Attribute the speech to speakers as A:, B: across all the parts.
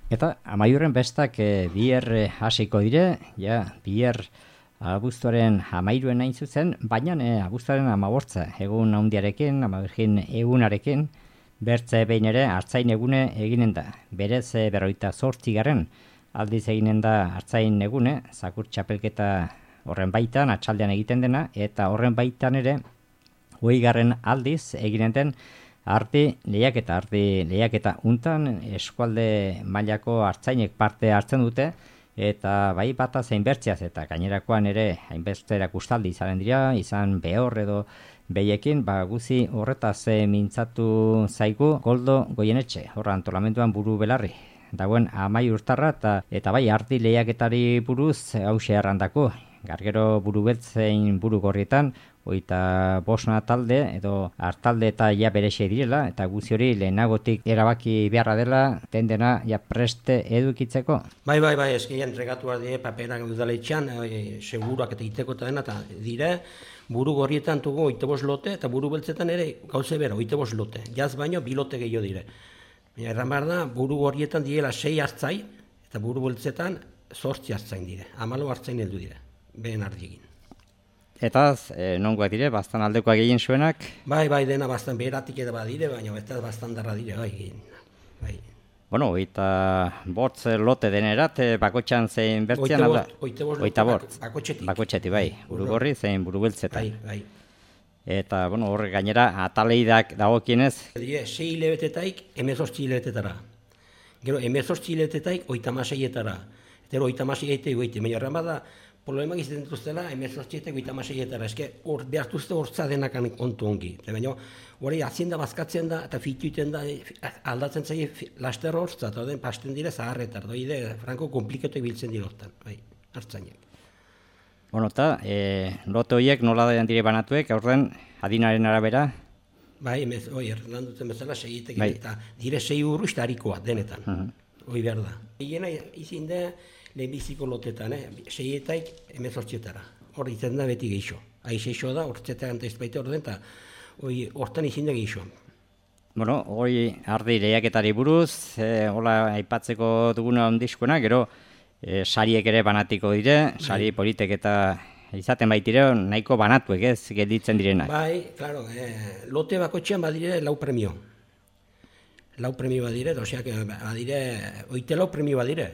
A: Eta amaiurren bestak biher hasiko dire, biher abuztuaren 13 hain zuzen, baina abuztuaren 15 egun handiarekin, 15 egunarekin, bertze behin ere artzain egune eginen da. Berez 48. Aldiz eginen da artzain egune, zakur txapelketa horren baitan, atxaldean egiten dena, eta horren baitan ere, 20. aldiz eginen den arti lehiaketa untan eskualde mailako artzainek parte hartzen dute, eta bai bata zein bertzeaz, eta gainerakoan ere hainbeste erakustaldi izanen dira, izan behor edo behiekin, guzi horretaz mintzatu zaigu Koldo Goienetxe, horra antolamenduan buru belarri. Dagoen Amaiurtarra eta bai arti lehiaketari buruz hause errandako. Gargero buru beltzein buru gorrietan, 25 talde edo hartalde eta berexe direla, eta guzi hori lehenagotik erabaki beharra dela, dena preste edukitzeko.
B: Bai, eskien entregatu die paperak udaletxean, seguruak eta iteko eta dena, eta dire, buru gorrietan dugu 25 lote, eta buru beltzetan ere gauze bera, 25 lote. Jaz baino, 2 lote gehiago dire. Erran behar da, buru gorrietan diela 6 hartzai, eta buru beltzetan 8 hartzain dire. 14 hartzain heldu dire, behen ardiegin.
A: Eta nongoak dire, bastan aldekoak egin zuenak?
B: Bai, dena bastan beheratik edo badire, baina ez bastan darra dire, bai.
A: Bueno, 25 lote denerat, bakotxan zein bertzean alda?
B: 25
A: bakotxetik, bai, buru gorri zein buru beltzetan.
B: Bai.
A: Eta, bueno, horre gainera, ataleidak dagokienez?
B: 6 hilabetetaik, 18 hilabetetara. Gero, 18 hilabetetetaik, 36etara. Eta 36 egoite, baina erran bada, problemak izaten dituztela, 18 eta 56etara. Eske, behartuzte hortza denakan kontu ongi. Baina, hori atzien da, bazkatzen da, eta fituiten da, aldatzen zaie laster hortza, eta den pasten dire zaharretar. Franko komplikatu ibiltzen diroztan, bai, hartzainak.
A: Bueno, eta lote horiek nola dire banatuek, aurren adinaren arabera?
B: Bai, erran duten bezala, 6 eta dire 6 urru harikoa denetan. Hoi behar da. Hiena izin da, lehenbiziko lotetan, 6 etaik 18etara. Hor izan da beti geixo. Aixo da, hortzetan eta izbaite orden, eta hortan izin da geixo.
A: Bueno, hori ardi lehiaketari buruz, hola aipatzeko duguna ondizkoena, gero sariek ere banatiko dire, sari politek eta izaten baitire nahiko banatuek ez gelditzen direnak.
B: Bai, claro, lote bakotxean badire 4 premio. 4 premio badire, oseak badire, 8 premio badire.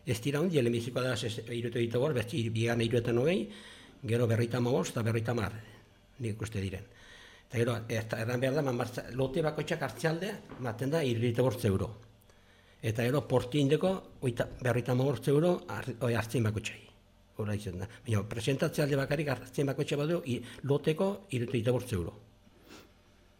B: Ez dira hondi, lehenbizikoa da 3 besti bigan 3 gero 55 eta 50, nik uste diren. Eta gero, erran behar da, lote bakotxak hartzealde, maten da 35 euro. Eta gero, porti indeko, 55 euro hartzen bakotxai. Hora izan da. Baina, presentatzealde bakarik hartzen bakotxa badu, loteko 35 euro.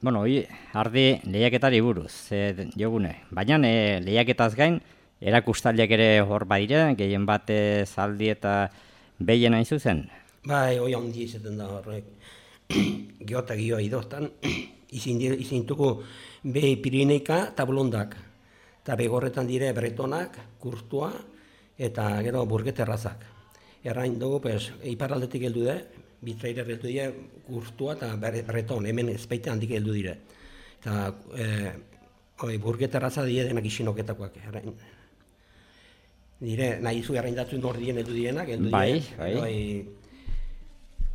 A: Bueno, ardi lehiaketari buruz, jogune. Baina lehiaketaz gain, erakustaldiak ere hor badire, gehien batez aldi eta behien hain zuzen?
B: Bai, hoi handi izaten da horrek. Geota gioa idoztan, izintuko be Pirineika eta Blondak. Eta begorretan dire Bretonak, Kurtua eta gero Burgeterrazak. Errain dugu, iparraldetik heldu da, Bitraire heldu dira Kurtua eta Breton, hemen ezpeite handik heldu dire. Eta Burgeterraza dire denak isinoketakoak. Dire, nahi zu erraindatzen nordien heldu direnak,
A: Bai.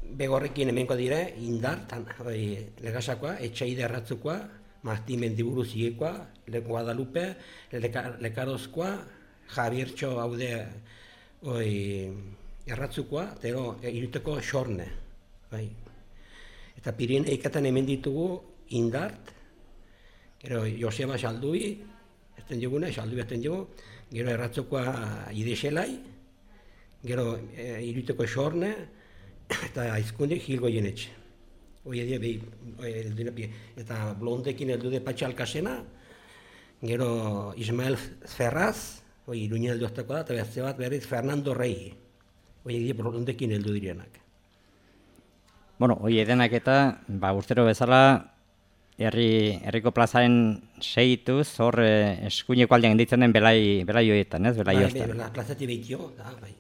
B: Begorrekin hemenko dire, Indar, Legasakoa, Etxaide erratzukoa, Marti Mendiburu zigekoa, Guadalupe, Lekarozkoa, Javiertxo haude erratzukoa, eta iruteko Xorne. Eta Pirineikatan hemen ditugu Indart, gero Joseba Xaldui, Xaldui esten dugu, gero erratzukoa Ideselai, gero iruteko Xorne, eta aizkundik Gil Goienetxe. Eta Blondekin heldu de Patxa Alkasena, gero Ismael Ferraz, Iruña heldu azteko da, eta beste bat berriz Fernando Rey. Blondekin heldu direnak.
A: Bueno, edenak eta, urtero bezala, herriko plazaren segituz, hor eskuineko aldean ditzen den belai horietan, ez? Belai horietan.
B: Bai, plazati behitio, bai.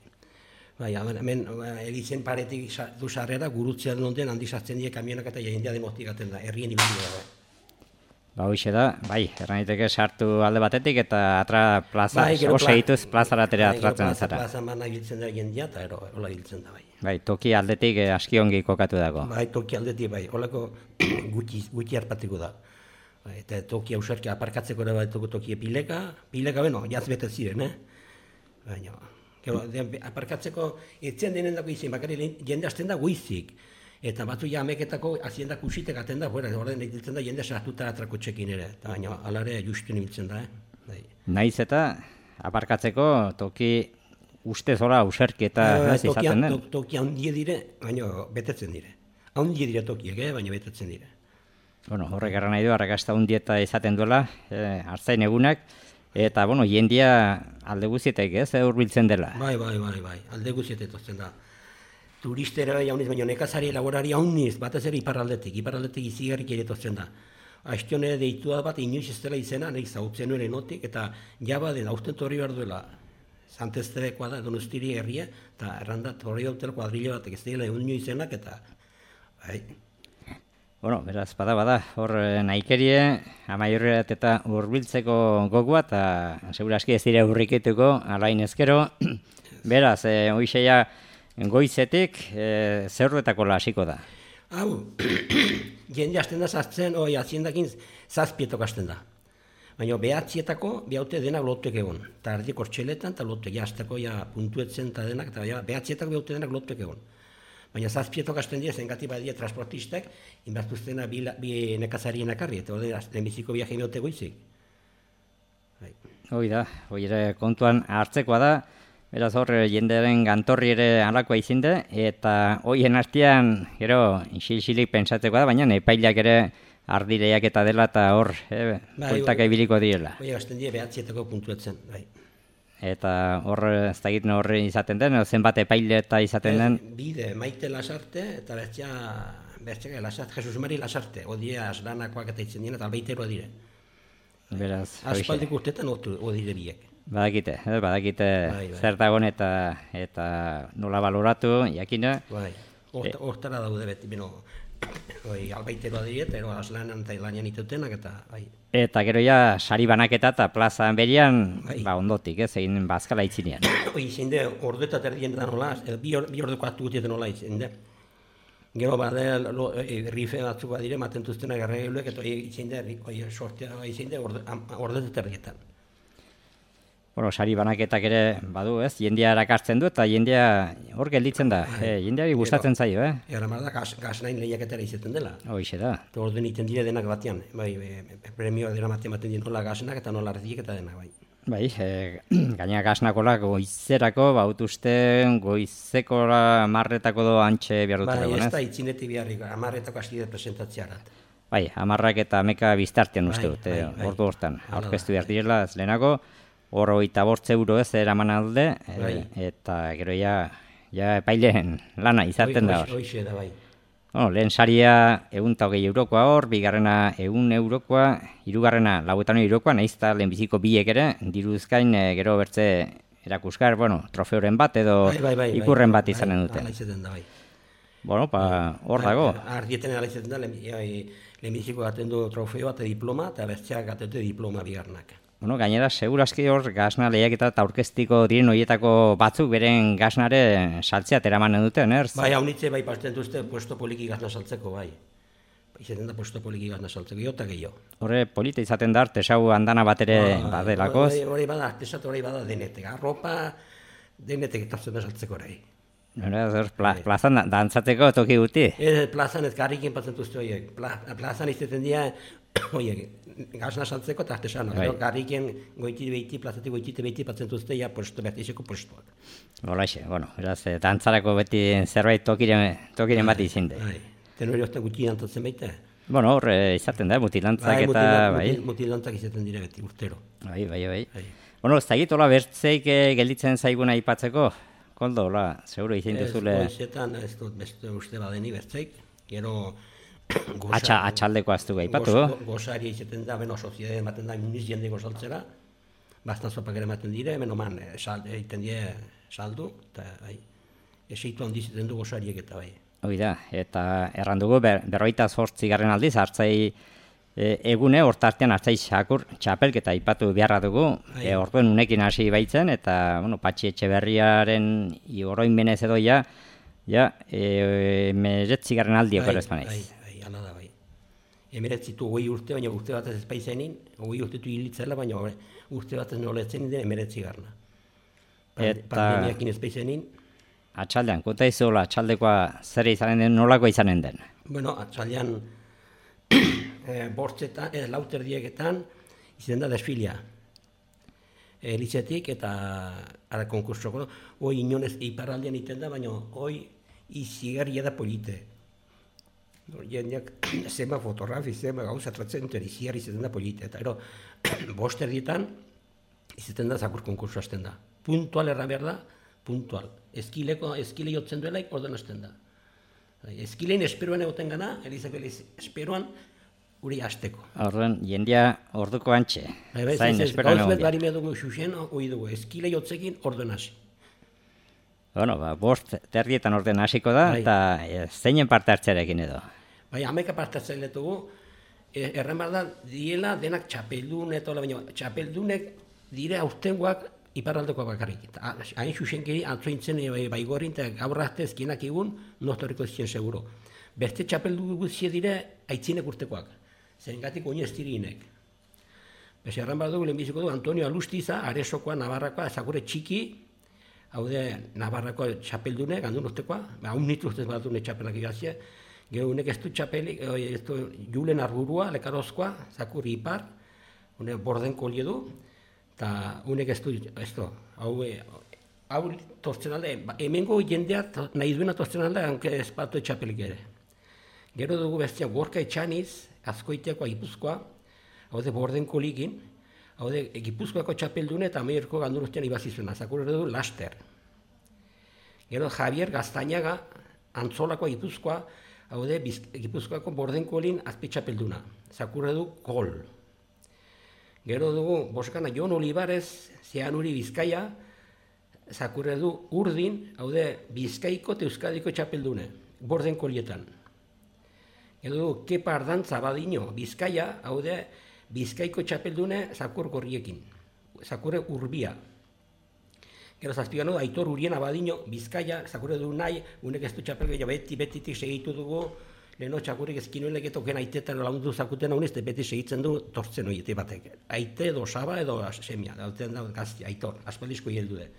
B: Bai, hemen elizen paretik du sarrera, gurutzean onden handi sartzen die kamionak eta jendia demostikaten da, herrien ibili da.
A: Ba, hoxe da, bai, erraniteke sartu alde batetik eta atra plaza, segituz plazaratera atratzen zara.
B: Plaza mana giltzen da jendia eta hola giltzen da, bai.
A: Bai, toki aldetik aski ongi kokatu dago.
B: Bai, toki aldetik, bai, holako gutxi harpatiko da. Bai, eta toki ausarki aparkatzeko ere bat toki pileka beno, jaz bete ziren, Baina, gero, aparkatzeko etzen denen dago izin, bakari jende hasten da goizik. Eta batzu ja ameketako aziendak usitek aten da, horren ditzen da jende sartuta atrako txekin ere. Eta baina, alare justu nibiltzen da, Bai.
A: Naiz eta aparkatzeko toki uste zora userki eta izaten den?
B: Toki handie dire, baina betetzen dire. Handie dire tokiek, baina betetzen dire.
A: Bueno, horrek erran nahi du, arrakasta hundieta izaten duela, hartzain egunak, eta, bueno, jendia alde guzietek, hurbiltzen dela.
B: Bai, alde guzietek tozten da. Turistera jauniz, baina nekazari laborari jauniz, batez ere iparraldetik izigarrik ere tozten da. Aiztione deitua bat inoiz ez dela izena, nahi zautzen nuen enotik, eta jaba den aurten torri behar duela. Santesterekoa da, Donostiri herria, eta erranda torri hautela kuadrilla batek ez dela egun izenak, eta bai.
A: Bueno, beraz, bada, hor nahikerie, amaiurreat eta hurbiltzeko gogua, eta seguraski ez dira hurriketuko, alain ezkero. Beraz, hoixeia goizetik, zerruetako hasiko da.
B: Hau, jende hasten da sartzen, aziendakin zazpietok hasten da. Baina behatzietako, behaute denak lotuek egon. Eta ardi kortxeletan, eta lotuek jazteko puntuetzen eta denak, eta behatzietako behaute denak lotuek egon. Baina zazpietok hasten dira, zengati badia transportistek, inbertuztena bi nekazarien akarri, eta hori lehenbiziko viaje meote goizik.
A: Hoi da, hoi ere kontuan hartzekoa da, beraz hor jendearen gantorri ere alakoa izinde, eta hoien artean, gero, isilik pensatzekoa da, baina epailak ere ardireiak eta dela, eta hor, bueltaka ibiliko direla.
B: Hoi hasten dira behatzietako puntuetzen, bai.
A: Eta hor, ez da egiten horre izaten den, zenbat epaile eta izaten den?
B: Bide, Maite Lasarte, eta bertxea Lasarte, Jesus Mari Lasarte, odia aslanakoak eta itzen dira, eta albeiteroa dire.
A: Beraz,
B: aspaldik urtetan odire biek.
A: Badakite zer dagoen eta nola baloratu, jakina.
B: Bai, hortara daude beti, beno, albaiteroa dire, eta aslanan eta ilanean itutenak, eta bai.
A: Eta gero ja, sari banaketa eta plazan berian, ondotik, egin bazkala itzinean.
B: Izinde, orduetat erdien da nola, bi orduko hartu gutietan nola izinde. Gero bade, rife batzuk badire, matentuztena garrailuek, eta izinde, sortea, izinde, orduetat erdietan.
A: Bueno, sari banaketak ere badu, jendea erakartzen du eta jendea hor gelditzen da, jendeari gustatzen zaio,
B: Era mar da, gaznain lehiaketara izaten dela.
A: Hoixe da.
B: Eta orduan iten dire denak batean, premioa dira maten dira nola gaznak eta nola ardiek eta denak, bai.
A: Bai, gaina gaznakola goizerako, bautuzte goizekora marretako do antxe behar dut egon,
B: ez da itzinetik beharrik, amarretako hasti dut presentatzearat.
A: Bai, amarrak eta ameka biztartian uste dut, ordu hortan, aurkeztu behar direla, ez lehenako, hor 25 euro ez eraman alde, eta gero ja epaileen lana izaten da hor.
B: Hoixe da, bai.
A: Lehen saria 120 eurokoa hor, bigarrena 100 eurokoa, hirugarrena 50 eurokoa, nahiz eta lehenbiziko biek ere, diruzkain gero bertze erakuskar, trofeoren bat edo ikurren bat izanen dute.
B: Ala izaten da, bai.
A: Hor dago.
B: Ardieten ala izaten da, lehenbiziko gaten du trofeo eta diploma, eta bertzeak gaten du diploma bigarnak.
A: Gainera, seguraski hor gazna lehiaketa eta aurkeztiko diren horietako batzuk beren gaznare saltzea teramanen duten,
B: Bai, haunitze bai pasten duzte puesto poliki gazna saltzeko, bai. Izaten da puesto poliki gazna saltzeko, jota gehiago.
A: Horre polita izaten da, artesau handana bat ere badelakoz.
B: Hori bada, artesatu hori bada denetek, arropa denetek etortzen da saltzeko hori.
A: Plazan dantzateko toki guti?
B: Plazan ez garrikin patzen duzte horiek. Plazan izaten dira, gazna saltzeko eta artesano. Garriken plazatik goitite behiti patzen duzte bertizeko postuak.
A: Holaxe, beraz, dantzarako beti zerbait tokiren bat izin da.
B: Tenori hozten gutxi dantzatzen baita.
A: Hor izaten da, mutilantzak eta...
B: Mutilantzak izaten dira beti, urtero.
A: Bai. Ez da egit, hola bertzeik gelditzen zaiguna aipatzeko? Koldo, seguro izin duzule...
B: Goizetan, ez dut beste uste badeni bertzeik, gero...
A: Atxaldeko aztu gaipatu.
B: Gozari izaten da, soziedade ematen da, muniz jende gozaltzera, bastan zopak ere ematen dire, oman, egiten dire saldu, eta eseitu handiz egiten du gozariek eta bai.
A: Hoi da, eta errandugu, 48 aldiz, hartzai egune hortartean hartzai sakur txapelketa aipatu beharra dugu, orduen unekin hasi baitzen, eta Patxi Etxeberriaren oroinmenez edo ja 19. aldiako errezpanaiz.
B: Hala da, bai. 19 urte, baina urte batez ez baizenin, 20 urtetu hilitzela, baina urte batez noletzen den 19. Pandemiakin ez baizenin.
A: Atxaldean, konta izola, atxaldekoa zer izanen den, nolako izanen den?
B: Bueno, atxaldean bortzetan, lauterdieketan izaten da desfilia. Elitzetik eta ara konkursoko, hoi inonez iparraldean iten da, baina hoi izigarria da polite. Jendeak zema fotografi, zema gauza tratzen duten izigarri izaten da polite. Eta ero, bosterdietan izaten da zakur konkurso hasten da. Puntual erra behar da, puntual. Eskile jotzen duelaik orden hasten da. Eskilein esperoan egoten gana, Elizabel esperoan guri hasteko.
A: Horren, jendia orduko antxe. Zain esperoan egon.
B: Gauz bet bari medugu xuxen, hoi dugu, eskile jotzekin orden hasi.
A: Bueno, bost terdietan orden hasiko da, eta zeinen parte hartzearekin edo?
B: Bai, 11 parte hartzen letugu, erren behar da, diela denak txapeldun, baina txapeldunek dire aurtengoak iparraldeko bakarrik. Hain xuxenkeri antzointzen baigorin eta gaur arte ezkienak egun nostoriko ezkien seguro. Beste txapeldu guztie dire aitzinek urtekoak, zerengatik oin ez dirinek. Beste erran behar dugu, lehenbiziko du Antonio Alustiza, Aresokoa, Navarrakoa, ezagure txiki, haude Navarrako txapeldunek, handun urtekoa, haun nitu ustez bat dune txapelak igazia, gero unek ez du txapelik, Julen Arburua, Lekarozkoa, zakurri ipar, unek Bordenko liedu, eta unek ez du, hau tortzen alde, hemengo jendeak nahi duena tortzen alde, hanke ez batu txapelik ere. Gero dugu bestia Gorka Etxaniz, Azkoiteakoa Gipuzkoa, haude Bordenko ligin, haude Gipuzkoako txapeldune eta Ameriko ganduruztean ibazizuna, zakurre du Laster. Gero Javier Gaztañaga, Antzolakoa Gipuzkoa, haude Gipuzkoako Bordenko lin azpi txapelduna, zakurre du Gol. Gero dugu Boskana Jon Olivares, Zeanuri Bizkaia, zakurre du Urdin, haude Bizkaiko eta Euskadiko txapeldune, Bordenko lietan. Gero dugu Kepa Ardantza Badino, Bizkaia, haude Bizkaiko txapeldune zakur gorriekin, zakurre Urbia. Gero zazpigan du Aitor Urien Abadino, Bizkaia, zakurre du nahi, unek ez du txapelgea betitik segitu dugu, leheno txakurrik ezkinuelek etoken aitetan lagundu zakuten hau nizte, beti segitzen du tortzen horiete batek. Aite edo saba edo semia, dauten da gazti, Aitor, aspaldizko hieldu de.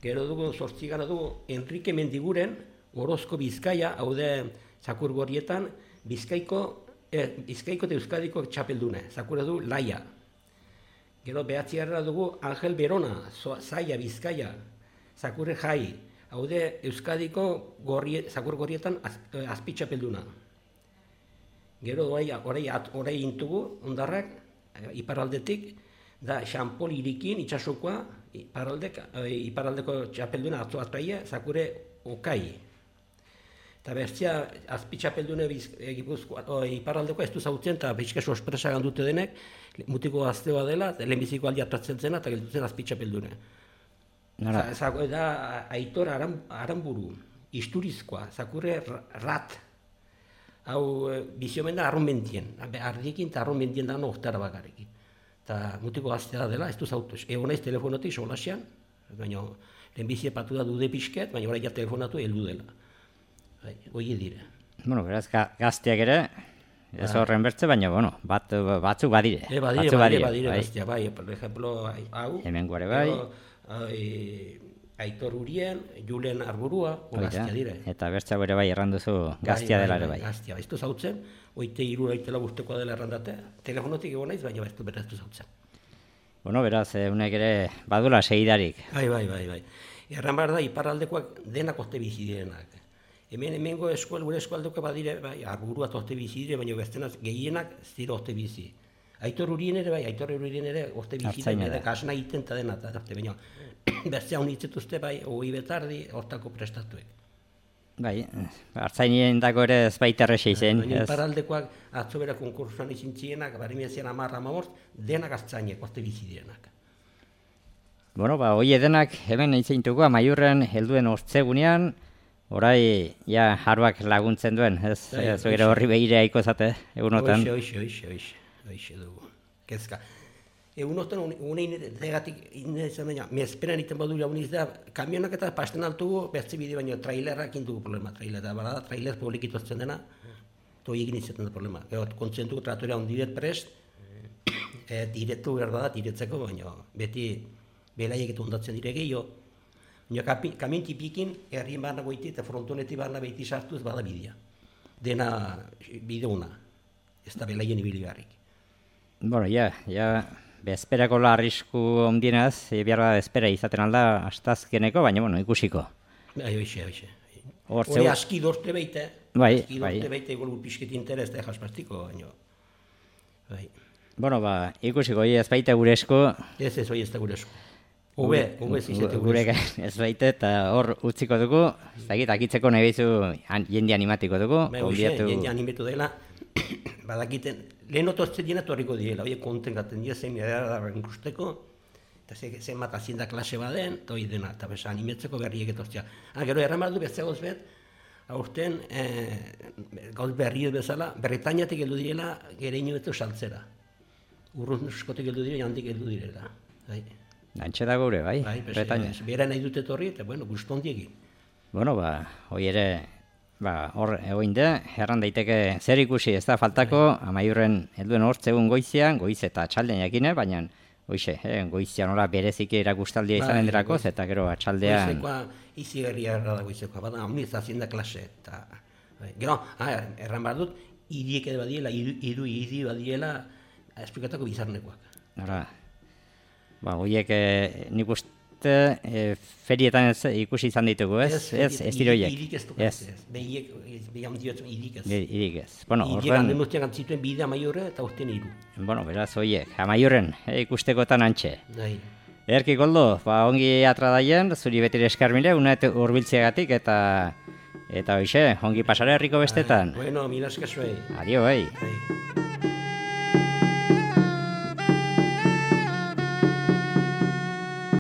B: Gero dugu, zortzigana dugu, Enrique Mendiguren, Orozko Bizkaia, haude zakur gorrietan, Bizkaiko eta Euskadiko txapeldune, zakurre du Laia. Gero behatzigarra dugu Angel Berona, Zaia Bizkaia, zakurre Jai, haude Euskadiko zakur gorrietan azpi txapelduna. Gero orai intugu, ondarrak, iparaldetik, da Xampol Irikin, itxasokoa, iparaldeko txapelduna atzoazpaia, zakurre Okai. Eta bestia, azpi txapeldune iparraldeko ez du zautzen, eta bizka sorpresa gandute denek, mutiko gazteoa dela, lehenbiziko aldi atratzen zena, eta geldutzen azpi txapeldune. Da Aitor Aranburu, Isturizkoa, zakurre Rat, hau biziomen da arronbentien, ardiekin eta arronbentien da ohtara bakarekin. Eta mutiko gaztea dela, ez du zautu, egon naiz telefonotik solasean, baina lehenbizie patu da dude pixket, baina horai ja telefonatu heldu dela. Hoi dire.
A: Bueno, beraz, gazteak ere, ez horren bertze, baina, bueno, batzuk badire.
B: Badire, bestia, bai, por ejemplo, hau.
A: Hemen gore bai.
B: Aitor Urien, Julen Arburua, gaztia dire.
A: Eta bertza ere bai erranduzu gaztia dela ere bai.
B: Gaztia, ez du zautzen, oite iru aitela guztekoa dela errandate, telefonotik egon naiz, baina ez du zautzen.
A: Bueno, beraz, unek ere badula segidarik.
B: Bai. Erran behar da, iparraldekoak denak oste bizi direnak. Hemengo gure eskualdeko badire, bai, Arburua oste bizi dire, baina bestenak gehienak zira oste bizi. Aitor Urien ere, oste bizi dire, kasna egiten eta dena, baina bestea honitzetuzte, bai, hoi betardi, hortako prestatuek.
A: Bai, hartzainien dago ere ez baita errexei zen.
B: Baina iparraldekoak atzo bera konkursuan izin txienak, barimezian 10-15, denak hartzainek oste bizi direnak.
A: Bueno, hoi edenak hemen eitzeintuko, Amaiurren helduen ortzegunean, Horai, ja, harbak laguntzen duen, ez? Zugira horri behire haiko zate, egunotan.
B: Hoxe dugu. Kezka. Egunotan, unein zegatik izan baina, mezperan iten badu jauniz da, kamionak eta pasten altugu, bertzi bide baina trailerrak indugu problema, trailer publik itotzen dena, toi egin izaten da problema. Kontzentuko traktorea ondiret prest, diretu behar da, diretzeko, baina beti belaiek eta ondatzen dire gehiago. Kamion tipikin, herrien barna goiti eta frontoneti barna behiti sartuz bada bidea. Dena bide una, ez da belaien ibili garrik.
A: Bueno, bezperako arrisku ondienaz, behar da bezpera izaten alda astazkeneko, baina, bueno, ikusiko.
B: Hoxe.
A: Hori
B: aski dorte beite, egol pixket interes da jaspastiko, baina.
A: Bueno, ikusiko, ez baita gure esku.
B: Ez, hori ez da gure esku. Hobe zizete gure esku.
A: Ez baita, eta hor utziko dugu, zagit, akitzeko nahi behizu jende animatiko dugu.
B: Jende animatu dela, badakiten, lehen otozte dina torriko diela, hori konten gaten dira, zein edarren ikusteko, eta zein bat azienda klase baden, eta hori dena, eta besa animetzeko berriek etoztea. Gero erramardu bezagoz bet, aurten gauz berriek bezala, Bretañatik heldu direla, gereinu betu saltzera. Urrunskotik heldu direla, jandik heldu direla.
A: Antxe da gure, bai, Bretaña.
B: Bera nahi dute torri, eta bueno, guztondiegin.
A: Bueno, hori ere, hor egoin da, erran daiteke zer ikusi, ez da faltako, amaiurren helduen hortzegun goizian, goiz eta atxaldean jakine, baina hoxe, goizian nola bereziki erakustaldia izanen dirakoz, eta gero atxaldean...
B: Goizekoa izi gerria erra da goizekoa, bada, honi zazienda klase, eta... Gero, erran behar dut, hiriek edo badiela, hiri badiela, esplikatako bizarnekoak.
A: Hora, horiek nik uste ferietan ikusi izan ditugu, ez? Ez diroiek.
B: Hirik ez duk ez. Behiek, hirik ez.
A: Hirik ez. Bueno,
B: horren... Hirik guztiak antzituen bide amaiurre eta urten hiru.
A: Bueno, beraz, horiek, amaiurren, ikustekotan antxe. Erki Koldo, ongi atradaien, zuri betire eskarmile, unet urbiltzeagatik eta hoxe, ongi pasare herriko bestetan.
B: Bueno, mila eskazuei.
A: Adio,